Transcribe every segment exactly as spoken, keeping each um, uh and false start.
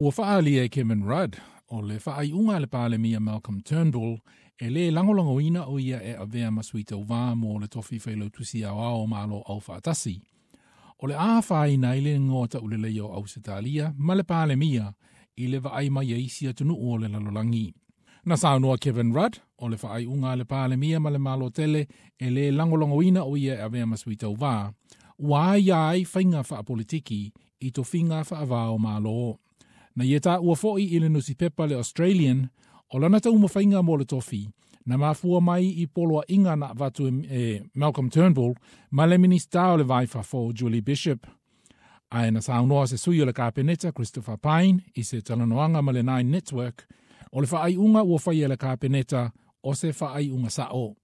Ua faaalia e Kevin Rudd, o le faaiuga a le Palemia Malcolm Turnbull, e lē lagolagoina o ia e avea ma sui tauvā mo le tofi failautusi aoao o Malo Aufaatasi. O le a afaina ai le igoa tauleleia o Ausetalia ma le Palemia i le vaai mai ai isi atunuu o le lalolagi. Na saunoa Kevin Rudd, o le faaiuga a le Palemia ma le Malo tele e lē lagolagoina o ia e avea ma sui tauvā, ua aia ai faiga faapolitiki i tofiga faava o Malo. Na ia taua foi i le nusipepa le Australian, o lana taumafaiga mo le tofi, na mafua mai i poloaiga na avatu e, e Malcolm Turnbull ma le Minisita o le Va i Fafo Julie Bishop. Ae na saunoa se sui o le Kapeneta Christopher Pyne i se talanoaga ma le Nine Network, o le faaiuga ua faia e le Kapeneta o se faaiuga sao.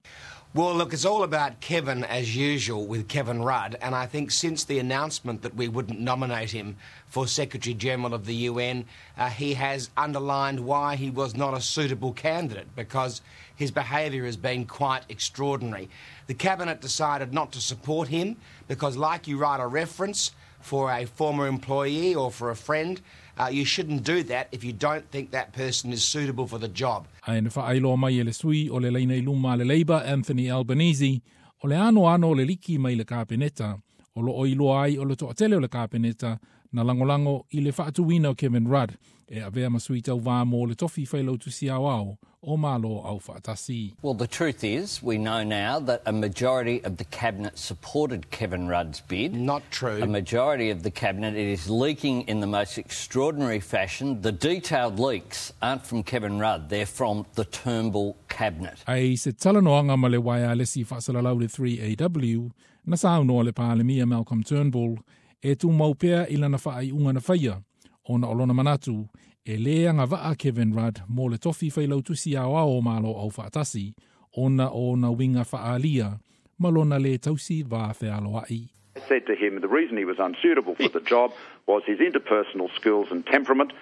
Well, look, it's all about Kevin as usual with Kevin Rudd, and I think since the announcement that we wouldn't nominate him for Secretary General of the U N, uh, he has underlined why he was not a suitable candidate, because his behaviour has been quite extraordinary. The Cabinet decided not to support him because, like you write a reference for a former employee or for a friend, uh, you shouldn't do that if you don't think that person is suitable for the job. Ae na faailoa mai e le sui o le laina i luma le Labour Anthony Albanese, o le anoano o le liki mai le Kapeneta, o loo iloa ai o le toatele o le Kapeneta na lagolago i le faatuina o Kevin Rudd e avea ma sui tauvā mo le tofi failautusi aoao o Malo Aufaatasi. Well, the truth is, we know now that a majority of the cabinet supported Kevin Rudd's bid. Not true. A majority of the cabinet, it is leaking in the most extraordinary fashion. The detailed leaks aren't from Kevin Rudd, they're from the Turnbull cabinet. Ae i se talanoaga ma le waialesi faasalalau le three A W, na saunoa le Palemia Malcolm Turnbull e tumau pea i lana faaiuga na faia, ona o lona manatu e lē agavaa Kevin Rudd mo le tofi failautusi aoao o Malo Aufaatasi ona o ona uiga faaalia ma lona lē tausi va fealoai. I said to him the reason he was unsuitable for the job was his interpersonal skills and temperament.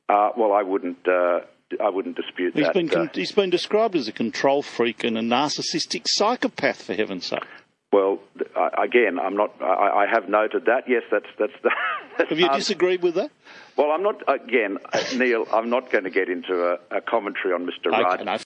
Uh, well, I wouldn't. Uh, I wouldn't dispute He's that. been uh, he's been described as a control freak and a narcissistic psychopath, for heaven's sake. Well, I, again, I'm not. I, I have noted that. Yes, that's that's. The, that's Have you um, disagreed with that? Well, I'm not. Again, uh, Neil, I'm not going to get into a, a commentary on Mister Okay, Rudd. no.